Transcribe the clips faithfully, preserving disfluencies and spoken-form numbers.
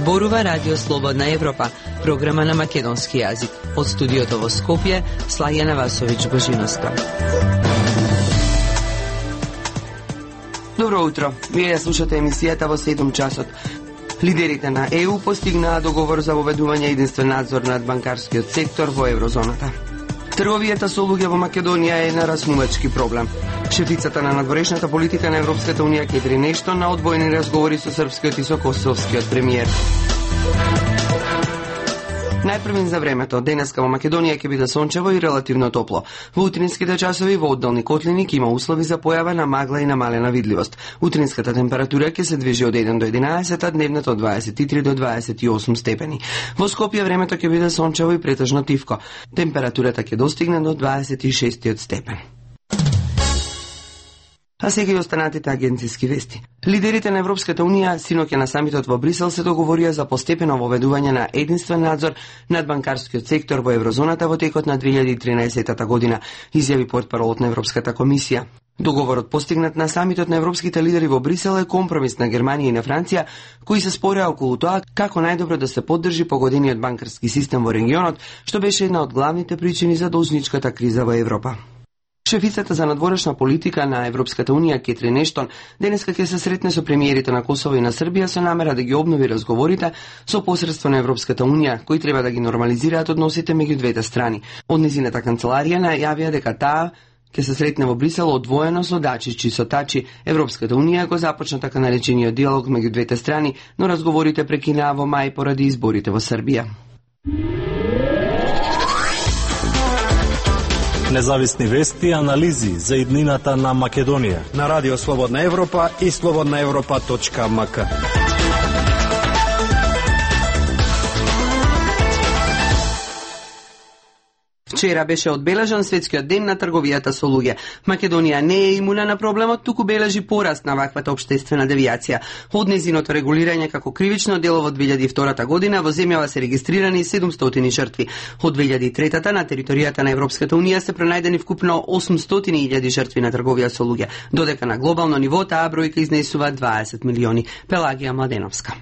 Зборува Радио Слободна Европа, програма на македонски јазик. Од студиото во Скопје, Слајана Васовиќ Божиновска. Добро утро. Вие ја слушате емисијата во седум часот. Лидерите на Е У постигнаа договор за воведување единствен надзор над банкарскиот сектор во еврозоната. Трговијата со луѓе во Македонија е нараснувачки проблем. Шефицата на надворешната политика на Европската унија Кетрин Ештон на одвоени разговори со српскиот и со косовскиот премиер. Најпрвен за времето, денеска во Македонија ќе биде сончево и релативно топло. Во утринските часови во одделни котлини ќе има услови за појава на магла и намалена видливост. Утринската температура ќе се движи од еден до единаесет, а дневната од дваесет и три до дваесет и осум степени. Во Скопје времето ќе биде сончево и претежно тивко. Температурата ќе достигне до дваесет и шест степен. А сега и останатите агенциски вести. Лидерите на Европската унија синоќа на самитот во Брисел се договорија за постепено воведување на единствен надзор над банкарскиот сектор во еврозоната во текот на две илјади и тринаесета година, изјави портпаролот на Европската комисија. Договорот постигнат на самитот на европските лидери во Брисел е компромис на Германија и на Франција, кои се спореа околу тоа како најдобро да се поддржи погодениот банкарски систем во регионот, што беше една од главните причини за должничката криза во Европа. Шефицата за надворешна политика на Европската унија Кетрин Ештон денеска ќе се сретне со премиерите на Косово и на Србија со намера да ги обнови разговорите со посредство на Европската унија, кои треба да ги нормализираат односите меѓу двете страни. Од незината канцеларија најавија дека таа ќе се сретне во Брисел одвоено со Дачич и со Тачи. Европската унија го започна така наречениот диалог меѓу двете страни, но разговорите прекинаа во мај поради изборите во Србија. Независни вести и анализи за иднината на Македонија на Радио Слободна Европа и слободна европа точка ем ка. Вчера беше одбележан светскиот ден на трговијата со луѓе. Македонија не е имуна на проблемот, туку бележи пораст на ваквата општествена девијација. Од незиното регулирање како кривично дело во две илјади и втора година во земјава се регистрирани седумстотини жртви. Од две илјади и трета на територијата на Европската унија се пронајдени вкупно осумстотини илјади жртви на трговија со луѓе, додека на глобално ниво таа бројка изнесува дваесет милиони. Пелагија Младеновска.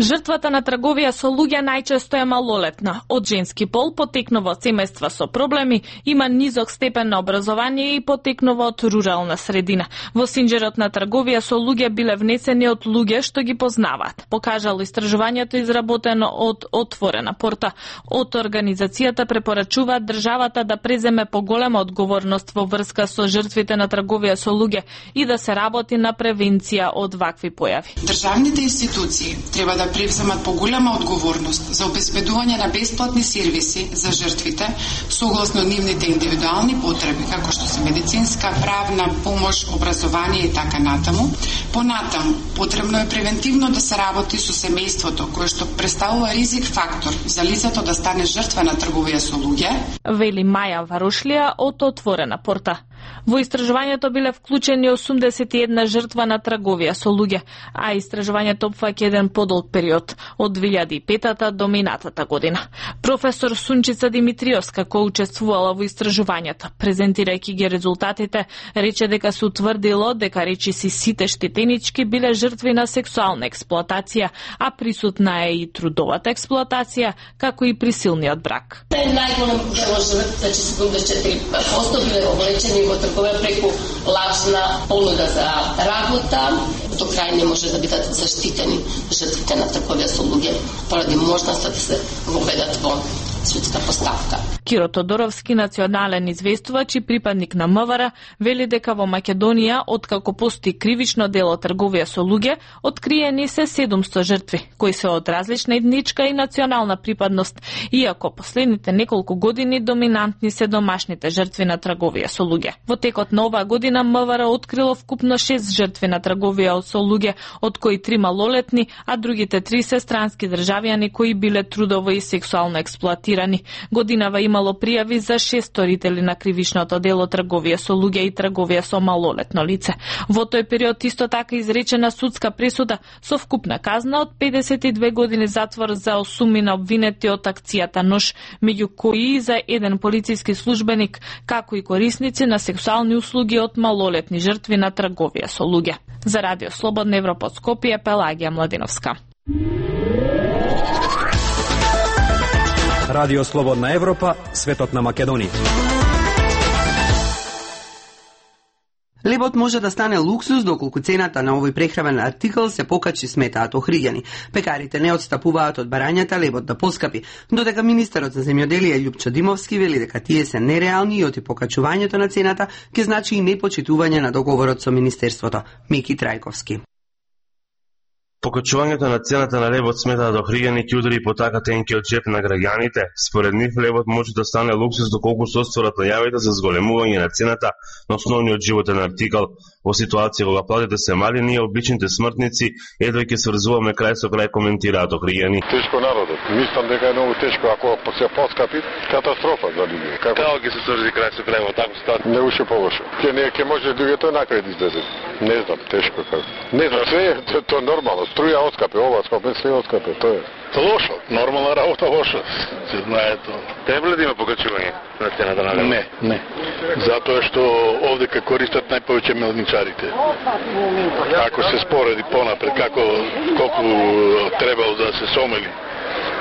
Жртвата на трговија со луѓе најчесто е малолетна, од женски пол, потекнува од семејства со проблеми, има низок степен на образование и потекнува од рурална средина. Во синџерот на трговија со луѓе биле внесени од луѓе што ги познаваат. Покажало истражувањето изработено од Отворена порта. Од организацијата препорачуваат државата да преземе поголема одговорност во врска со жртвите на трговија со луѓе и да се работи на превенција од вакви појави. Државните институции треба да превземат поголема одговорност за обезбедување на бесплатни сервиси за жртвите согласно нивните индивидуални потреби, како што се медицинска, правна помош, образование и така натаму. Понатаму, потребно е превентивно да се работи со семејството, кое што представува ризик фактор за лицето да стане жртва на трговија со луѓе. Вели Маја Варушлија од Отворена порта. Во истражувањето биле вклучени осумдесет и една жртва на трговија со луѓе, а истражувањето опфаќа еден подолг период од две илјади и пета до минатата година. Професор Сунчица Димитриевска, која учествувала во истражувањето, презентирајќи ги резултатите, рече дека се утврдило дека речиси сите штетенички биле жртви на сексуална експлоатација, а присутна е и трудовата експлоатација, како и присилниот брак. Најголем дел од жртвите, значи седумдесет и четири проценти биле облечени во трговија преку лажна понуда за работа. До крај не може да бидат заштитени жртвите на трговија со луѓе поради можноста да се воведат во судска постапка. Киро Тодоровски, национален известувач и припадник на М В Р, вели дека во Македонија, откако постои кривично дело трговија со луѓе, откриени се седумсто жртви, кои се од различна етничка и национална припадност, иако последните неколку години доминантни се домашните жртви на трговија со луѓе. Во текот на оваа година М В Р открило вкупно шест жртви на трговија со луѓе, од кои три малолетни, а другите три се странски државјани кои биле трудово и сексуално експлоатирани. Годинава имало пријави за шест сторители на кривичното дело трговија со луѓе и трговија со малолетно лице. Во тој период исто така изречена судска пресуда со вкупна казна од педесет и две години затвор за осумина обвинети од акцијата Нож, меѓу кои и за еден полициски службеник, како и корисници на сексуални услуги од малолетни жртви на трговија со луѓе. За Радио Слободна Европа од Скопје, Пелагија Младеновска. Радио Слободна Европа, светот на Македонија. Лебот може да стане луксус доколку цената на овој прехранен артикл се покачи, сметаат охриѓани. Пекарите не отстапуваат од барањата лебот да поскапи, додека министерот за земјоделие Љупчо Димовски вели дека тие се нереални и оти покачувањето на цената ќе значи и непочитување на договорот со министерството. Мики Трајковски. Покачувањето на цената на лебот сметаат охриѓани ќе удари по така тенкиот джеп на граѓаните. Според нив лебот може да стане луксус доколку се остварат најавите за зголемување на цената на основниот животен артикал. Во ситуација кога платите се мали, ние обичните смртници едва ќе сврзуваме крај со крај, коментираат охриѓани. Тешко народот. Мислам дека е многу тешко ако се поскапи, катастрофа за луѓе. Како Како ќе се сврзи крај со крај во таква ситуација? Не уште повоше. Ќе не ќе може луѓето накрај да излезат. Не знам, тешко како. Не знам, све е то, то нормално. Струја отскапе, ова отскапе, све отскапе, тоа е. Лошо, нормална работа лошо. Се знае тоа. Треба ли да има покачување на цената на лебот? Не, не. Затоа што овде ка користат најповеќе мелничарите. Ако се спореди понапред како колку требало да се сомели,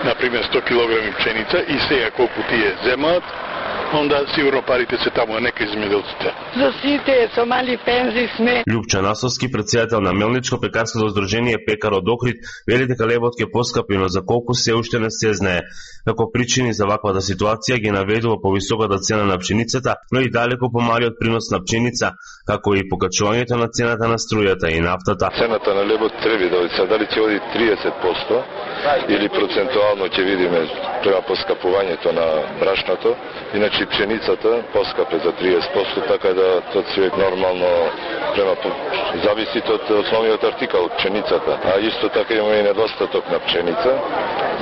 например сто килограми пшеница и сега колку тие земаат, онда сигурно парите се таму, а нека земјоделците. За сите со мали пензии сме. Љупчо Насовски, председател на Мелничко-пекарското здружение Пекар од Охрид, вели дека лебот ќе поскапи, но за колку се уште не се знае. Како причини за ваквата ситуација ги наведува повисоката цена на пшеницата, но и далеко помалиот принос на пшеница, како и покачувањето на цената на струјата и нафтата. Цената на лебот треба да оди, дали ќе оди триесет проценти или процентуално ќе видиме према поскапувањето на брашното. Иначе пшеницата поскапе за триесет проценти, така да тоа се нормално према зависи од основниот артикал, пшеницата. А исто така имаме и недостаток на пшеница,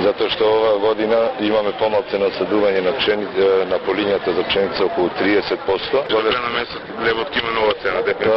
затоа што оваа година имаме помалце насадување на пшеница, на полињата за пшеница околу триесет проценти. За крај на месец лебот ќе има нова цена, дека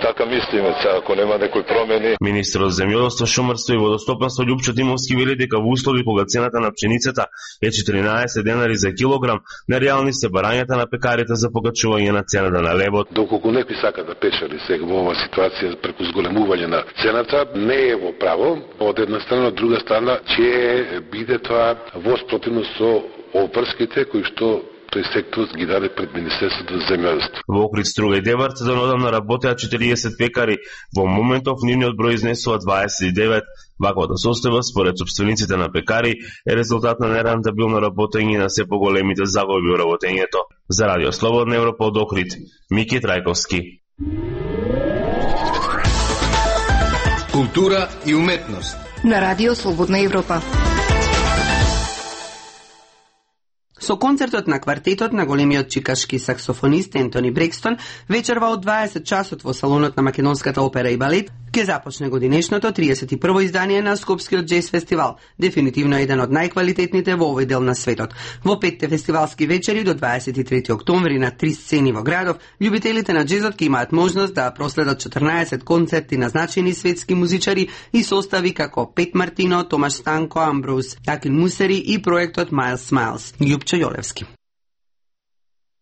така мислиме, сега, ако нема некои промени. Министерот за земјоделство, шумарство и водостопанство Љупчо Димовски вели дека во услови кога цената на пшеницата е четиринаесет денари за килограм, нереални се барањата на пекарите за покачување на цената на лебот. Доколку некој сака да печели сега во оваа ситуација преку зголемување на цената, не е во право. Од една страна, од друга страна, ќе биде тоа во спротивност со опрските кои што тој сектор ги даде пред Министерството за земјоделство. Во Охрид, Струга и Деварца донодамна работеа четириесет пекари, во моментов нивниот број изнесува дваесет и девет. Ваквата состојба, според собствениците на пекари, е резултат на нерентабилно работење и на се поголемите загуби во работењето. За Радио Слободна Европа од Охрид, Мики Трајковски. Култура и уметност на Радио Слободна Европа. Со концертот на квартетот на големиот чикашки саксофонист Ентони Брекстон вечерва од дваесет часот во салонот на Македонската опера и балет ќе започне годинешното триесет и прво издание на Скопскиот џез фестивал, дефинитивно еден од најквалитетните во овој дел на светот. Во петте фестивалски вечери до дваесет и трети октомври на три сцени во градов, љубителите на џезот ќе имаат можност да проследат четрнаесет концерти на значајни светски музичари и состави како Пет Мартино, Томаш Станко, Амброуз, Акин Мусери и проектот Майлс Смайлс. Љупчо Јолевски.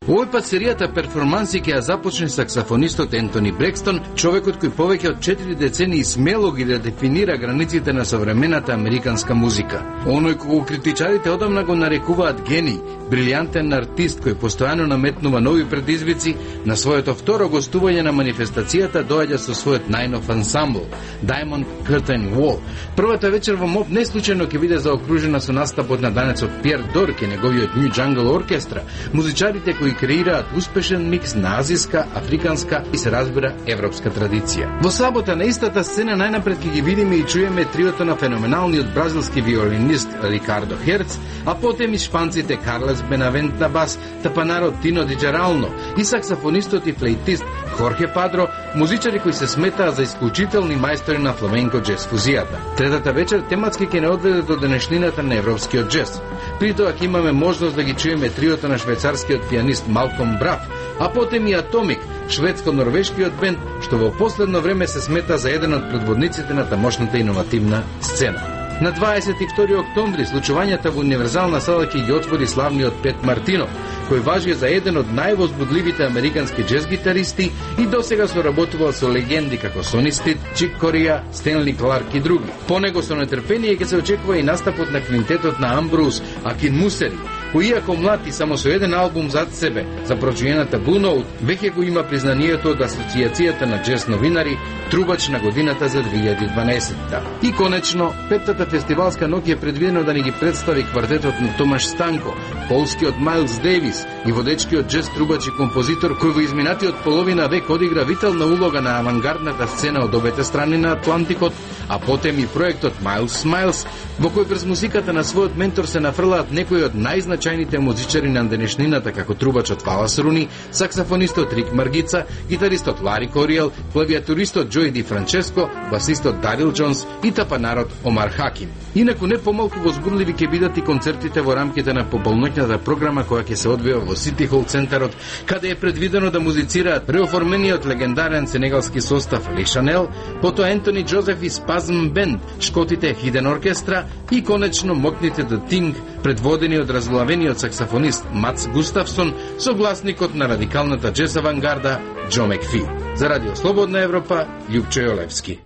Овој пат серијата перформанси ќе ја започне саксофонистот Ентони Брекстон, човекот кој повеќе од четири децении смело ги дефинира границите на современата американска музика. Оној кого критичарите одамна го нарекуваат гений, брилјантен артист кој постојано наметнува нови предизвици, на своето второ гостување на манифестацијата доаѓа со својот најнов ансамбл, Diamond Curtain Wall. Првата вечер во МОП не случајно ќе биде заокружена со настапот на данецот Пиер Дорк и неговиот New Jungle Оркестра, музичарите кои креираат успешен микс на азиска, африканска и се разбира европска традиција. Во сабота на истата сцена најнапред ќе ги видиме и чуеме триото на феноменалниот бразилски виолинист Рикардо Херц, а потем и шпанците Карлес Бенавент на бас, тапанарот Тино Ди Джерално и саксофонистот и флейтист Хорхе Падро, музичари кои се сметаа за исклучителни мајстори на фламенко џез фузијата. Третата вечер тематски ќе не одведе до денешнината на европскиот џез. При тоа ќе имаме можност да ги чуеме триото на швајцарскиот пианист Малком Браф, а потем и Атомик, шведско-норвешкиот бенд, што во последно време се смета за еден од предводниците на тамошната иновативна сцена. На дваесет и втори октомври случувањата во универзална сала ќе ги отвори славниот Пет Мартинов, кој важи за еден од највозбудливите американски джез гитаристи и досега соработувал со легенди како Сони Стит, Чик Корија, Стенли Кларк и други. По него со нетрпение ќе се очекува и настапот на квинтетот на Амброуз Акин Мусери, кој иако млад и само со еден албум зад себе за прочуената Blue Note, веќе го има признанието од Асоциацијата на джез новинари трубач на годината за две илјади и дванаесетта. И конечно, петтата фестивалска ноќ е предвидено да ни ги представи квартетот на Томаш Станко, полскиот Мајлс Дейвис и водечкиот джез трубач и композитор кој во изминатиот половина век одигра витална улога на авангардната сцена од обете страни на Атлантикот, а потем и проектот Miles Smiles, во кој през музиката на својот ментор се нафрлаат некои од најзначајните музичари на денешнината, како трубачот Валас Руни, саксофонистот Рик Маргица, гитаристот Лари Кориел, клавиатуристот Джои Ди Франческо, басистот Дарил Джонс и тапанарот Омар Хаким. Инаку не помалку возбудливи ќе бидат и концертите во рамките на пополноќната програма која ќе се одвива во Сити Хол центарот, каде е предвидено да музицираат реоформениот легендарен сенегалски состав Ли Шанел, потоа Ентони Джозеф и Спазм Бенд, шкотите Хиден оркестра и конечно мокните The Thing, предводени од разглавениот саксофонист Мац Густавсон, согласникот на радикалната джез авангарда Џо Макфи. За Радио Слободна Европа, Љупчо Јолевски.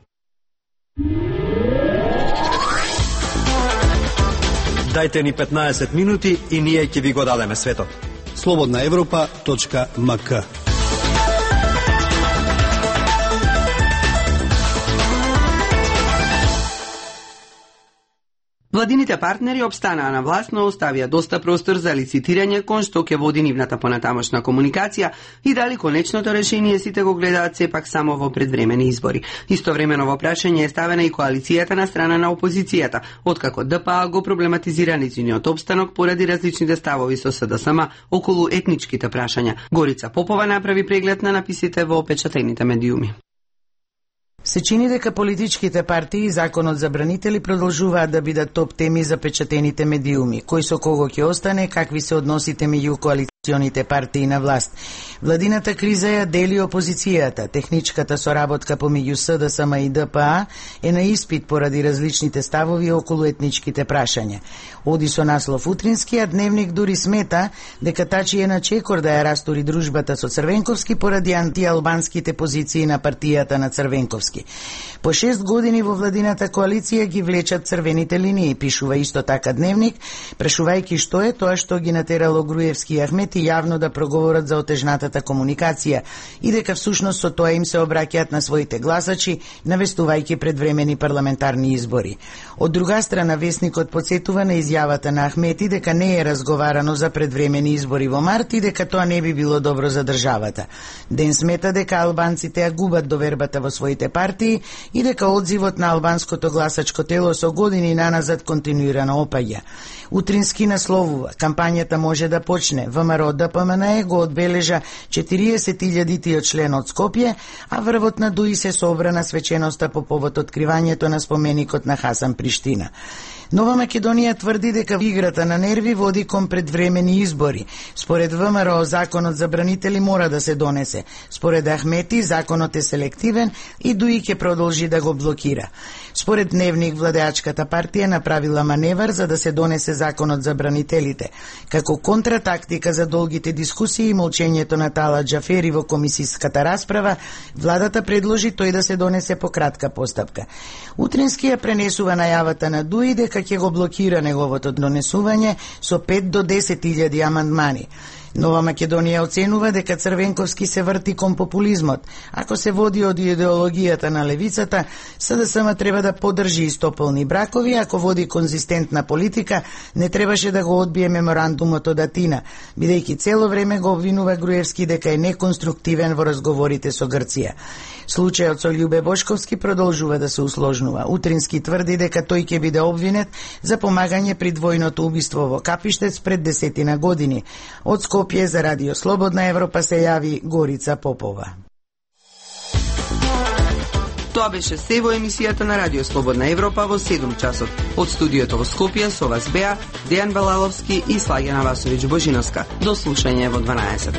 Дајте ни петнаесет минути и ние ќе ви го дадеме светот. слободна европа точка ем ка. Владините партнери обстанаа на власт, но оставија доста простор за лицитирање кон што ќе води нивната понатамошна комуникација и дали конечното решение сите го гледаат сепак само во предвремени избори. Истовремено во прашање е ставена и коалицијата на страна на опозицијата, откако Д П А го проблематизира нејзиниот опстанок поради различните ставови со С Д С М околу етничките прашања. Горица Попова направи преглед на написите во печатените медиуми. Се чини дека политичките партии и законот за бранители продолжуваат да бидат топ теми за печатените медиуми. Кој со кого ќе остане, какви се односите меѓу коалиционите партии на власт. Владината криза ја дели опозицијата. Техничката соработка помеѓу С Д С М и Д П А е на испит поради различните ставови околу етничките прашања. Оди со наслов утринскиот дневник дури смета дека тачи е на чекор да ја растури дружбата со Црвенковски поради антиалбанските позиции на партијата на Црвенковски. По шест години во владината коалиција ги влечат црвените линии, пишува исто така дневник, прашувајќи што е тоа што ги натерало Груевски и Ахмети јавно да проговорат за отежнатата комуникација и дека всушност со тоа им се обраќаат на своите гласачи, навестувајќи предвремени парламентарни избори. Од друга страна, весникот потсетува на изјавата на Ахмети дека не е разговарано за предвремени избори во март и дека тоа не би било добро за државата. Ден смета дека албанците ја губат довербата во своите партии и дека одзивот на албанското гласачко тело со години наназад континуирано опаѓа. Утрински насловува: кампањата може да почне. ВМРО Д П М Н Е го одбележа четириесет илјади член од Скопје, а врвот на Дуи се собра на свеченоста по повод откривањето на споменикот на Хасан Приштина. Нова Македонија тврди дека играта на нерви води кон предвремени избори. Според ВМРО, законот за бранители мора да се донесе. Според Ахмети, законот е селективен и Дуи ќе продолжи да го блокира. Според дневник, владеачката партија направила маневар за да се донесе законот за бранителите. Како контратактика за долгите дискусии и молчењето на Тала Џафери во комисиската расправа, владата предложи тој да се донесе по кратка постапка. Утрински ја пренесува најавата на Дуи дека ќе го блокира неговото донесување со пет до десет илјади амандмани. Нова Македонија оценува дека Црвенковски се врти кон популизмот. Ако се води од идеологијата на левицата, С Д С М треба да поддржи истополни бракови, ако води конзистентна политика, не требаше да го одбие меморандумот од Атина, бидејќи цело време го обвинува Груевски дека е неконструктивен во разговорите со Грција. Случајот со Љубе Бошковски продолжува да се усложнува. Утрински тврди дека тој ќе биде обвинет за помагање при двојното убиство во Капиштец пред десетина години. Од Скопје за Радио Слободна Европа се јави Горица Попова. Тоа беше се во емисијата на Радио Слободна Европа во седум часот. Од студиото во Скопје со вас беа Дејан Балаловски и Слагена Васовиќ Божиновска. До слушање во дванаесет.